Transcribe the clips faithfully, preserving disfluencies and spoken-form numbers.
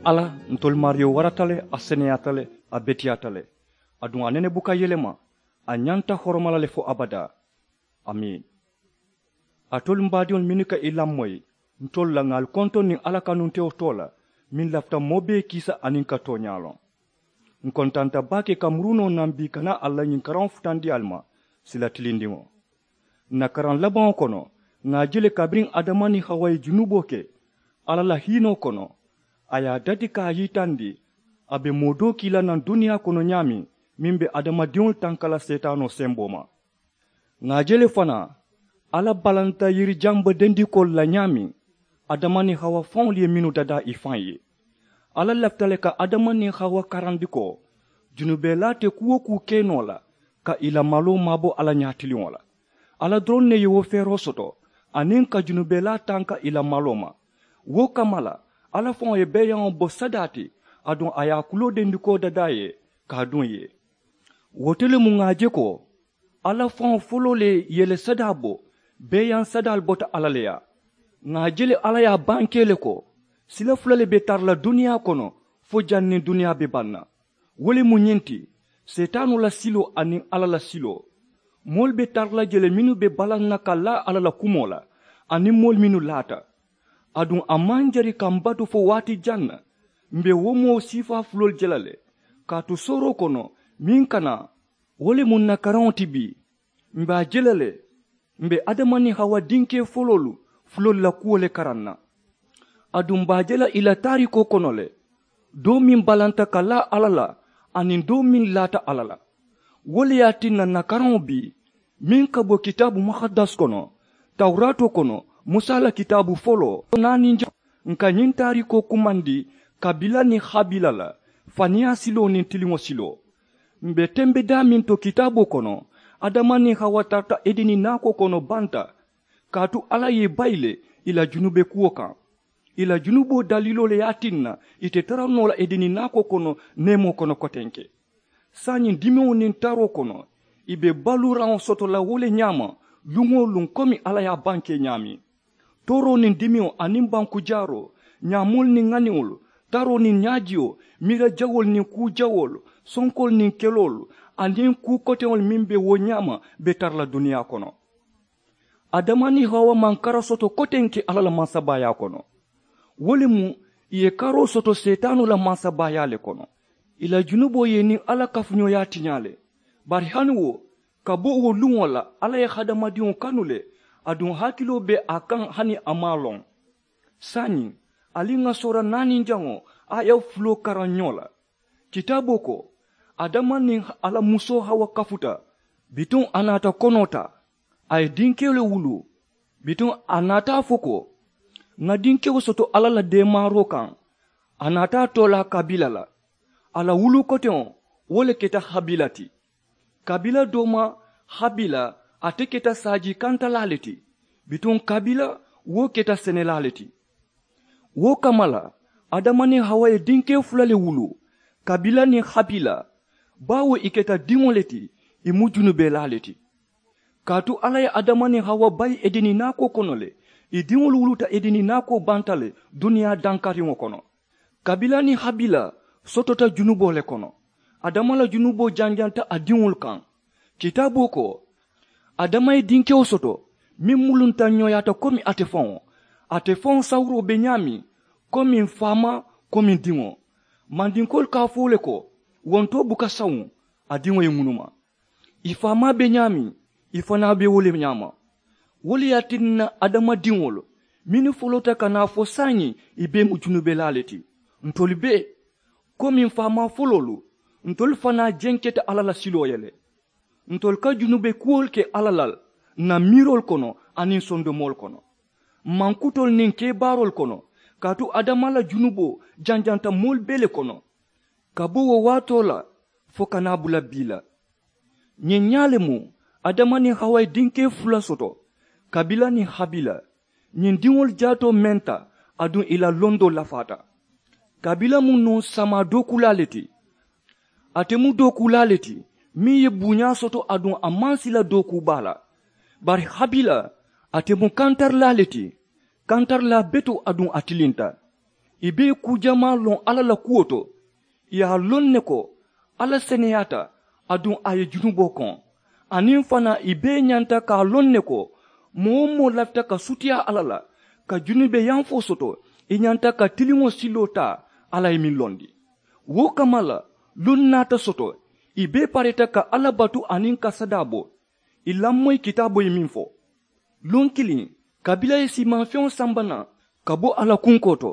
Alla, ntolu maariyo warata le, a seneyaata le, a beteyaata le. Aduŋ a nene buka yelema. A ñanta horoma la le fo abadaa. Amiin. Alitolu m baadiŋolu mennu ka i lamoyi ntolu la ŋà ali kontoŋ niŋ alla kanuntewo too la, meŋ lafita moo bee kiisa aniŋ ka tooñaa loŋ. N kontanta baake ka murunoo naŋ bii ka naa alla ñiŋ karaŋo futandi ali ma sila tilindiŋo. N na karaŋ labaŋo kono, ŋà a je le kabiriŋ adama niŋ hawa ye junuboo ke alla la hiinoo kono, a ye a dati ka a yitandi a be moo doo kii la naŋ duniyaa kono ñaameŋ, meŋ be adamadiŋolu tanka la seetaanoo semboo ma. Ŋà a je le fanaa, alla balanta yirijaŋ bodendikoolu la ñaameŋ, adama niŋ hawa faŋolu ye mennu dadaa i faŋ ye. Alla lafita le ka adama niŋ hawa karandi ko, junubelaa te kuu-wo-kuu ke noo la ka ì la maloo maabo alla ñaatiliŋo la. Alla doroŋ ne ye wo feeroo soto, aniŋ ka junubelaa tanka ì la maloo ma. Wo kamma la, alla faŋo ye beeyaŋo bo sadaa ti, aduŋ a ye a kuloo dendikoo dadaa ye ka a duŋ ì ye. Wo to le mu ŋà a je ko, alla faŋo foloo le ye le sadaa bo, beeyaŋ sadaalu bota alla le yaa. Ŋà a je le alla ye a bankee le ko, sila fula le be tara la duniyaa kono fo janniŋ duniyaa be baŋ na. Wo le mu ñiŋ ti, seetaanoo la siloo aniŋ alla la siloo. Moolu be tara la je le mennu be balaŋ na ka laa alla la kumoo la, aniŋ moolu mennu laata. Aduŋ a maŋ jari ka m batu fo waati jaŋ na, m be wo moo siifaa fuloolu je la le. Kaatu sooroo kono, meŋ ka naa, wo le mu n na karaŋo ti bii. M be a je la le, m be adama niŋ hawa dinkee foloolu fuloolu la kuwo le karaŋ na. Aduŋ m be a je la ì la taariikoo kono le, doo meŋ balanta ka laa alla la, aniŋ doo meŋ laata alla la. Wo le ye a tinna n na karaŋo bii, meŋ ka bo kitaabu muhaddas kono, tawuraatoo kono, musa la kitaabu foloo naaniŋ jaŋo, n ka ñiŋ taariikoo kumandi kabila niŋ habila la, faniyaa siloo niŋ tiliŋo siloo. M be tembe daameŋ to kitaaboo kono, adama niŋ hawa tarata edeni naakoo kono banta. Kaatu alla ye ì bayi le ì la junube kuwo kaŋ. Ì la junuboo daliiloo le ye a tinna ì te tara noo la edeni naakoo kono neemoo kono kotenke. Saayiŋ dimiŋo niŋ taroo kono, ì be baluuraŋo soto la wo le ñaama, luŋ-wo-luŋ komi alla ye a bankee ñaameŋ. Tooroo niŋ dimiŋo aniŋ banku jaaroo, ñaamoolu niŋ ŋaniŋolu, taroo niŋ ñaajiyo, miira jawoolu niŋ kuu jawoolu, sonkoolu niŋ keloolu, aniŋ kuu koteŋolu meŋ be wo ñaama, be tara la duniyaa kono. Adama niŋ hawa maŋ kara soto kotenke alla la mansabaayaa kono. Wo le mu ì ye karoo soto seetaanoo la mansabaayaa le kono. Ì la junuboo ye ì niŋ alla kafuñooyaa tiñaa le. Bari hani wo, ka bo wo luŋo la alla ye hadamadiŋo kanu le, aduŋ hakiloo be a kaŋ hani a maŋ a loŋ. Saayiŋ, ali ŋà soora naaniŋ jaŋo, a ye fuloo karaŋ ñoo la. Kitaaboo ko, adama niŋ a la musoo hawa kafuta, bituŋ a naata konoo taa, a ye dinkewo le wuluu. Bituŋ a naata a fo ko, ŋà dinkewo soto alla la deemaaroo kaŋ. A naata a toolaa kabila la. A la wuluu koteŋo, wo le keta habila ti. Kabila doo ma, habila, ate keta saajii kantalaa le ti. Bituŋ kabila, wo keta senelaa le ti. Wo kamma la, adama niŋ hawa ye dinkee fula le wuluu, kabila niŋ habila. Baawo ì keta diŋo le ti, ì mu junubelaa le ti. Kaatu alla ye adama niŋ hawa bayi edeni naakoo kono le, ì diŋolu wuluuta edeni naakoo banta le duniyaa dankariŋo kono. Kabila niŋ habila sotota junuboo le kono. Adama la junuboo janjanta a diŋolu kaŋ. Kitaaboo ko, adama ye dinkewo soto, meŋ mulunta ñooyaata komi ate faŋo. Ate faŋo sawuroo be ñaameŋ, komi faamaa, komi diŋo. Mandinkoolu ka a fo le ko, wontoo buka sawuŋ, a diŋo ye ŋunuma. Ì faamaa be ñaameŋ, ì fanaa be wo le ñaama. Wo le ye a tinna adamadiŋolu mennu foloota ka naa fo saayiŋ, ì bee mu junubelaa le ti. Ntolu bee, komi faamaa foloolu, ntolu fanaa jenketa alla la siloo ye le. Ntolu ka junube kuwolu ke alla la n na miiroolu kono aniŋ sondomoolu kono, mankutoolu niŋ kebaaroolu kono. Kaatu adama la junuboo janjanta moolu bee le kono, ka bo wo waatoo la fo ka naa bula bii la. Ñiŋ ñaa le mu adama niŋ hawa ye dinkee fula soto, kabila niŋ habila. Ñiŋ diŋolu jaatoo menta, aduŋ ì la londoo lafaata. Kabila mu nuŋ samaa dookuulaa le ti. Ate mu dookuulaa le ti, meŋ ye buuñaa soto aduŋ a maŋ sila dookuu baa la. Bari habila, ate mu kantarilaa le ti. Kantarilaa betoo aduŋ a tilinta. I be i kuu jamaa loŋ alla la kuwo to. I ye a loŋ ne ko alla seneyaata, aduŋ a ye junuboo koŋ. Aniŋ fanaa i bee ñanta ka a loŋ ne ko moo-wo-moo lafita ka sutiyaa alla la ka junubeyaŋ fo soto, i ñanta ka tiliŋo siloo taa alla ye meŋ londi. Wo kamma la luŋ naata soto i bee pareeta ka alla batu aniŋ ka sadaa bo. I lamoyi kitaaboo ye meŋ fo luŋ kiliŋ, kabila ye siimaŋ feŋo samba naŋ ka bo a la kunkoo to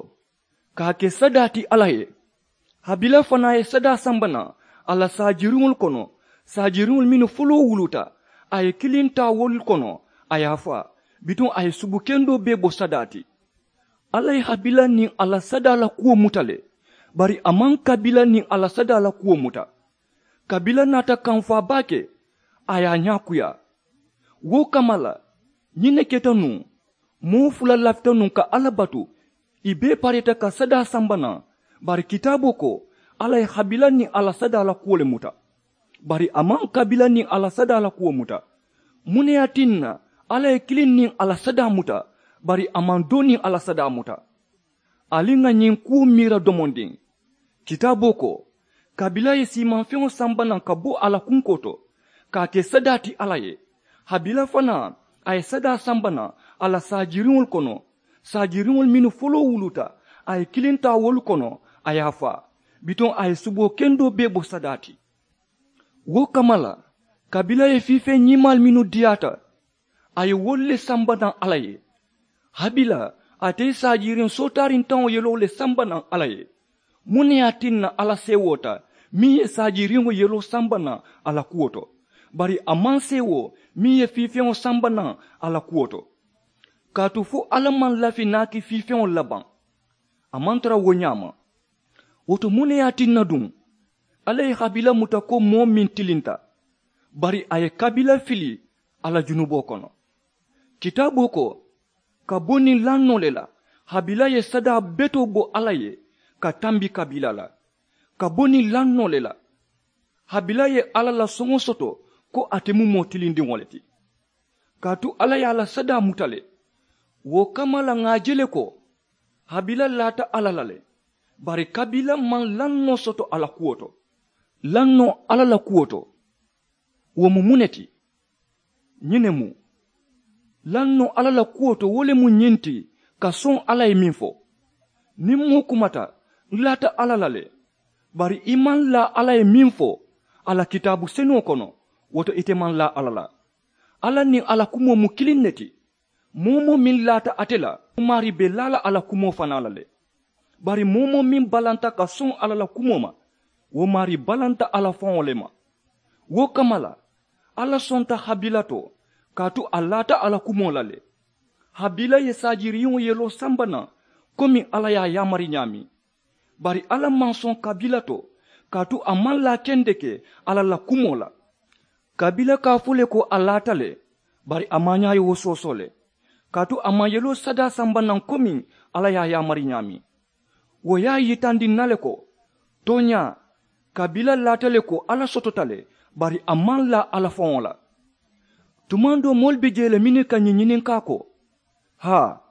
ka a ke sadaa ti alla ye. Habila fanaa ye sadaa samba naŋ a la saajiriŋolu kono, saajiriŋolu mennu foloo wuluta a ye kiliŋ taa wolu kono, a ye a faa bituŋ a ye subukendoo bee bo sadaa ti. Alla ye habila niŋ a la sadaa la kuwo muta le, bari a maŋ kabila niŋ a la sadaa la kuwo muta. Kabila naata kamfaa baake, a ye a ñaakuyaa. Wo kamma la ñiŋ ne keta nuŋ, moo fula lafita nuŋ ka alla batu, i bee pareeta ka sadaa samba naŋ. Bari kitaaboo ko alla ye habila niŋ a la sadaa la kuwo le muta, bari a maŋ kabila niŋ a la sadaa la kuwo muta. Muŋ ne ye a tinna alla ye kiliŋ niŋ a la sadaa muta, bari a maŋ doo niŋ a la sadaa muta? Ali ŋà ñiŋ kuwo miira domondiŋ. Kitaaboo ko, kabila ye siimaŋ feŋo samba naŋ ka bo a la kunkoo to ka a ke sadaa ti alla ye. Habila fanaa, a ye sadaa samba naŋ a la saajiriŋolu kono, saajiriŋolu mennu foloo wuluta a ye kiliŋ taa wolu kono, a ye a faa bituŋ a ye suboo kendoo bee bo sadaa ti. Wo kamma la, kabila ye fiifeŋ ñimaalu mennu diyaata, a ye wolu le samba naŋ alla ye. Habila, ate ye saajiriŋ sootaariŋ taŋo yeloo le samba naŋ alla ye. Muŋ ne ye a tinna alla seewoota meŋ ye saajiriŋo yeloo samba naŋ a la kuwo to, bari a maŋ seewoo meŋ ye fiifeŋo samba naŋ a la kuwo to? Kaatu fo alla maŋ lafi naaki fiifeŋolu la baŋ? A maŋ tara wo ñaama. Wo to muŋ ne ye a tinna duŋ alla ye habila muta ko moo meŋ tilinta, bari a ye kabila fili a la junuboo kono? Kitaaboo ko, ka bo niŋ lannoo le la, habila ye sadaa betoo bo alla ye ka tambi kabila la. Ka bo niŋ lannoo le la, habila ye alla la soŋo soto ko ate mu moo tilindiŋo le ti. Kaatu alla ye a la sadaa muta le. Wo kamma la ŋà a je le ko habila laata alla la le, bari kabila maŋ lannoo soto a la kuwo to. Lannoo alla la kuwo to, wo mu muŋ ne ti? Ñiŋ ne mu lannoo alla la kuwo to, wo le mu ñiŋ ti, ka soŋ alla ye meŋ fo. Niŋ moo kumata, n laata alla la le, bari i maŋ laa alla ye meŋ fo a la kitaabu senuŋo kono, wo to ite maŋ laa alla la. Alla niŋ a la kumoo mu kiliŋ ne ti. Moo-wo-moo meŋ laata ate la, maarii be laa la a la kumoo fanaa la le. Bari moo-wo-moo meŋ balanta ka soŋ alla la kumoo ma, wo maarii balanta a la faŋo le ma. Wo kamma la, alla sonta habila to, kaatu a laata a la kumoo la le. Habila ye saajiriŋo yeloo samba naŋ komiŋ alla ye a yaamari ñaameŋ. Bari alla maŋ soŋ kabila to, kaatu a maŋ laa kendeke alla la kumoo la. Kabila ka a fo le ko a laata le, bari a maañaa ye wo soosoo le, kaatu a maŋ yeloo sadaa samba naŋ komiŋ alla ye a yaamari ñaameŋ. Wo ye a yitandi ǹ na le ko, tooñaa, kabila laata le ko alla sotota le, bari a maŋ laa alla faŋo la. Tumaŋ doo moolu be jee le mennu ka ñiŋ ñininkaa ko, haa,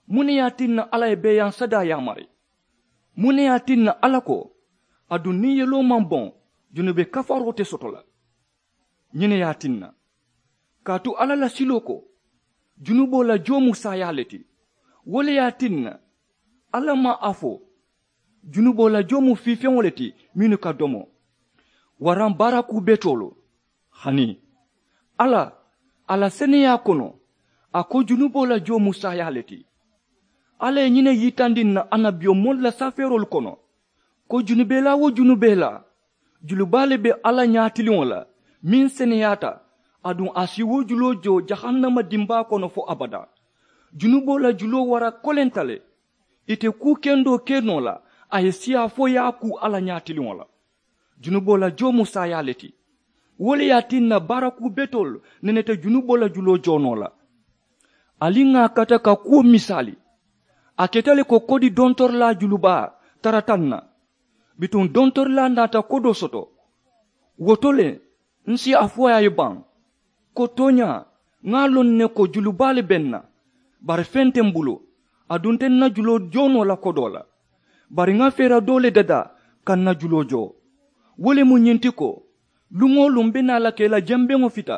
muŋ ne ye a tinna alla ye beeyaŋ sadaa yaamari? Muŋ ne ye a tinna alla ko, aduŋ niŋ yeloo maŋ boŋ, junube kafaroo te soto la? Ñiŋ ne ye a tinna, kaatu alla la siloo ko, junuboo la joo mu saayaa le ti. Wo le ye a tinna, alla maŋ a fo junuboo la joo mu fiifeŋo le ti mennu ka domo, waraŋ baarakuu betoolu. Hani alla, a la seneyaa kono, a ko junuboo la joo mu saayaa le ti. Alla ye ñiŋ ne yitandi ǹ na annabiyomoolu la safeeroolu kono, ko junubelaa-wo-junubelaa, julubaa le be alla ñaatiliŋo la meŋ seneyaata, aduŋ a si wo juloo joo jahannama dimbaa kono fo abadaa. Junuboo la juloo wara kolenta le. Ì te kuu kendoo ke noo la, a ye siyaa fo ye a kuu alla ñaatiliŋo la. Junuboo la joo mu saayaa le ti. Wo le ye a tinna baarakuu betoolu neneta junuboo la juloo joo noo la. Ali ŋà a kata ka kuwo misaali. A keta le ko kodi dontorilaa julubaa tarata ǹ na. Bituŋ dontorilaa naata kodoo soto. Wo to le, ǹ si a fo a ye baŋ, ko tooñaa, ŋà a loŋ ne ko julubaa le be ǹ na, bari feŋ te m̀ bulu. Aduŋ te ǹ na juloo joo noo la kodoo la. Bari ŋa feera doo le dadaa ka ǹ na juloo joo. Wo le mu ñiŋ ti ko, luŋ-wo-luŋ m̀ be naa la ka i la jembeŋo fita.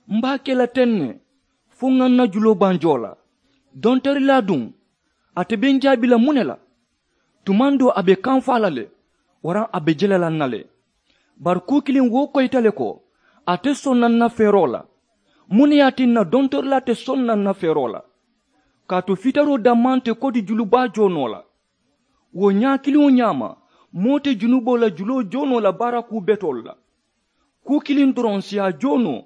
M̀ be a ke la teŋ ne fo ŋa ǹ na juloo baŋ joo la. Dontorilaa duŋ, ate be ǹ jaabi la muŋ ne la? Tumaŋ doo a be kaŋ faa la le, waraŋ a be jele la ǹ na le. Bari kuu kiliŋ wo koyita le ko, a te soŋ na ǹ na feeroo la. Muŋ ne ye a tinna dontorilaa te soŋ na ǹ na feeroo la? Kaatu fitaroo dammaa nte kodi julubaa joo noo la. Wo ñaa kiliŋo ñaama, moo te junuboo la juloo joo noo la baara kuu betoolu la. Kuu kiliŋ doroŋ si a joo noo.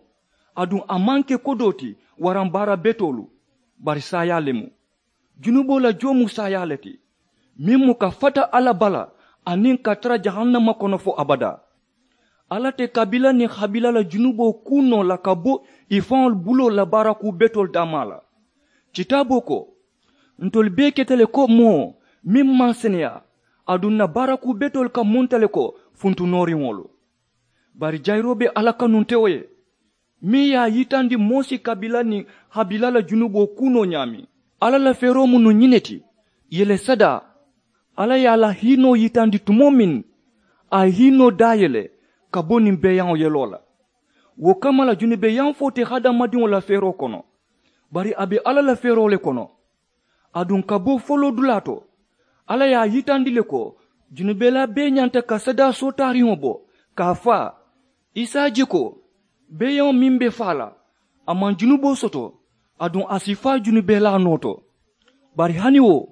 Aduŋ a maŋ ke kodoo ti, waraŋ baara betoolu, bari saayaa le mu. Junuboo la joo mu saayaa le ti, meŋ mu ka fata alla bala, aniŋ ka tara jahannama kono fo abadaa. Alla te kabila niŋ habila la junuboo kuu noo la ka bo ì faŋolu buloo la baara kuu betoolu dammaa la. Kitaaboo ko, ntolu bee keta le ko moo meŋ maŋ seneyaa, aduŋ ǹ na baara kuu betoolu ka munta le ko funtunooriŋolu. Bari jayiroo be alla kanuntewo ye, meŋ ye a yitandi moo si kabila niŋ habila la junuboo kuu noo ñaameŋ. Alla la feeroo mu nuŋ ñiŋ ne ti, yele sadaa. Alla ye a la hiinoo yitandi tumoo meŋ, a ye hiinoo daayele ka bo niŋ beeyaŋo yeloo la. Wo kamma la junubeeyaŋ fo te hadamadiŋo la feeroo kono, bari a be alla la feeroo le kono. Aduŋ ka bo foloodulaa to, alla ye a yitandi le ko junubelaa bee ñanta ka sadaa sootaariŋo bo, ka a faa. I si a je ko beeyaŋo meŋ be faa la, a maŋ junuboo soto, aduŋ a si faa junubelaa noo to. Bari hani wo,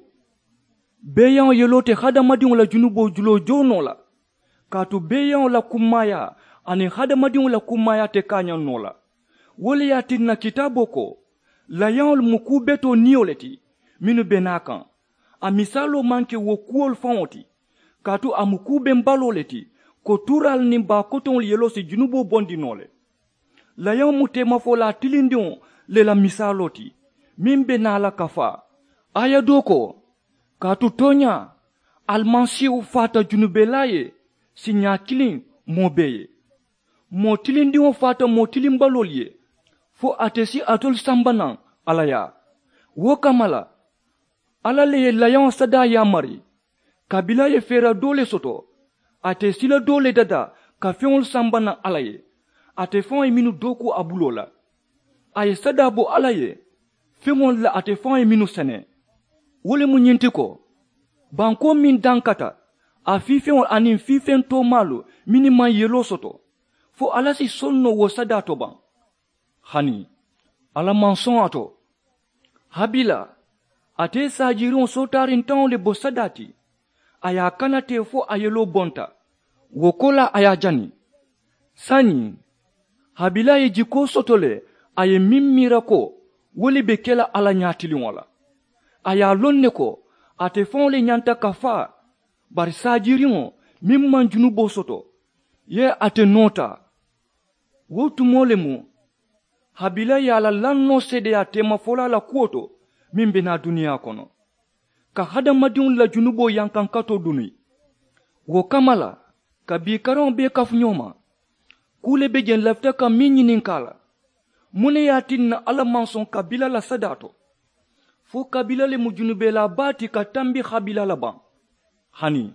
beeyaŋo yeloo te hadamadiŋo la junuboo juloo joo noo la. Kaatu beeyaŋo la kummaayaa aniŋ hadamadiŋo la kummaayaa te kaañaŋ noo la. Wo le ye a tinna kitaaboo ko, layaŋolu mu kuu betoo niyo le ti, mennu be naa kaŋ. A misaaloo maŋ ke wo kuwolu faŋo ti, kaatu a mu kuu bembaloo le ti, ko tuuraalu niŋ baa kotoŋolu yeloo si junuboo bondi noo le. Layaŋo mu teemafolaa tilindiŋo le la misaaloo ti, meŋ be naa la ka faa. Aaya doo ko, kaatu tooñaa, alimasiihu faata junubelaa ye siiñaa kiliŋ moo bee ye. Moo tilindiŋo faata moo tilimbaloolu ye, fo ate si alitolu samba naŋ alla yaa. Wo kamma la, alla le ye layaŋo sadaa yaamari. Kabila ye feera doo le soto, ate sila doo le dadaa ka feŋolu samba naŋ alla ye. Ate faŋo ye mennu dookuu a buloo la, a ye sadaa bo alla ye feŋolu la ate faŋo ye mennu sene. Wo le mu ñiŋ ti ko, bankoo meŋ dankata, a fiifeŋolu aniŋ fiifeŋ toomaalu mennu maŋ yeloo soto, fo alla si soŋ noo wo sadaa to baŋ? Hani, alla maŋ soŋ a to. Habila, ate ye saajiiriŋo sootaariŋ taŋo le bo sadaa ti, a ye a kana teŋ fo a yeloo bonta. Wo koolaa a ye a jani. Saayiŋ, habila ye jikoo soto le, a ye meŋ miira ko wo le be ke la alla ñaatiliŋo la. A ye a loŋ ne ko ate faŋo le ñanta ka faa. Bari saajiiriŋo meŋ maŋ junuboo soto, ye ate noo taa. Wo tumoo le mu, habila ye a la lannoo seedeyaa teemafolaa la kuwo to, meŋ be naa duniyaa kono, ka hadamadiŋolu la junuboo yankankatoo duni. Wo kamma la, ka bii karaŋo bee kafu ñoo ma, kuu le be jeŋ lafita ka meŋ ñininkaa la, muŋ ne ye a tinna alla maŋ soŋ kabila la sadaa to? Fo kabila le mu junubelaa baa ti ka tambi habila la baŋ? Hani,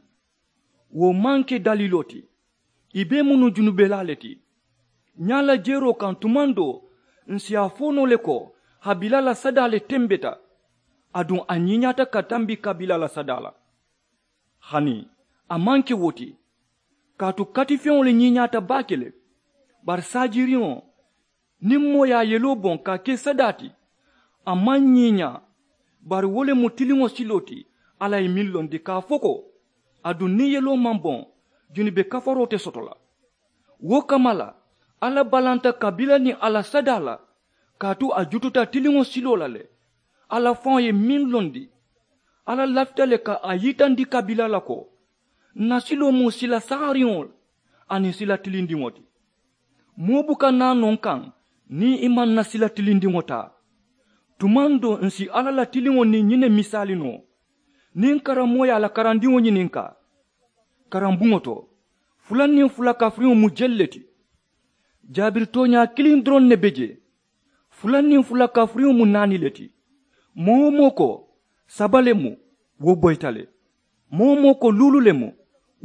wo maŋ ke daliiloo ti. Ì bee mu nuŋ junubelaa le ti. Ñaa la jeeroo kaŋ tumaŋ doo, ǹ si a fo noo le ko habila la sadaa le tembeta, aduŋ a ñiiñaata ka tambi kabila la sadaa la. Hani, a maŋ ke wo ti. Kaatu katifeŋo le ñiiñaata baake le. Bari saajiiriŋo, niŋ moo ye a yeloo boŋ ka a ke sadaa ti, a maŋ ñiiñaa. Bari wo le mu tiliŋo siloo ti, alla ye meŋ londi ka a fo ko, aduŋ niŋ yeloo maŋ boŋ, junube kafaroo te soto la. Wo kamma la, alla balanta kabila niŋ a la sadaa la, kaatu a jututa tiliŋo siloo la le. Alla faŋo ye meŋ londi, alla lafita le ka a yitandi kabila la ko, ǹ na siloo mu sila sahariŋo aniŋ sila tilindiŋo ti. Moo buka naa noo ǹ kaŋ niŋ i maŋ ǹ na sila tilindiŋo taa. Tumaŋ doo ǹ si alla la tiliŋo niŋ ñiŋ ne misaali noo, niŋ karammoo ye a la karandiŋo ñininkaa. Karambuŋo to, fula niŋ fula kafiriŋo mu jelu le ti? Jaabiri tooñaa kiliŋ doroŋ ne be jee. Fula niŋ fula kafiriŋo mu naani le ti. Moo-wo-moo ko saba le mu, wo boyita le. Moo-wo-moo ko luulu le mu,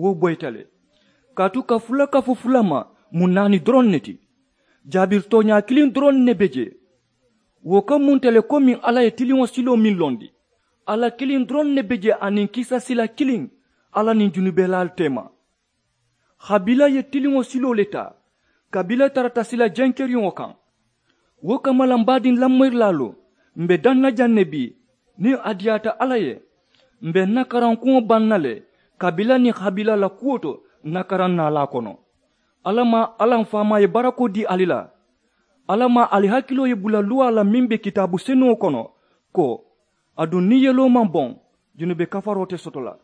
wo boyita le. Kaatu ka fula kafu fula ma mu naani doroŋ ne ti. Jaabiri tooñaa kiliŋ doroŋ ne be jee. Wo ka munta le komiŋ alla ye tiliŋo siloo meŋ londi. Alla kiliŋ doroŋ ne be jee aniŋ kiisa sila kiliŋ, alla niŋ junubelaalu teema. Habila ye tiliŋo siloo le taa, kabila tarata sila jenkeriŋo kaŋ. Wo kamma la m baadiŋ lamoyirilaalu, m be daŋ na jaŋ ne bii, niŋ a diyaata alla ye, m be n na karankuŋo baŋ na le, kabila niŋ habila la kuwo to n na karaŋ naalaa kono. Alla maŋ alla m faamaa ye barakoo dii ali la. Alla maŋ ali hakiloo ye bula luwaa la meŋ be kitaabu senuŋo kono, ko, aduŋ niŋ yeloo maŋ boŋ, junube kafaroo te soto la.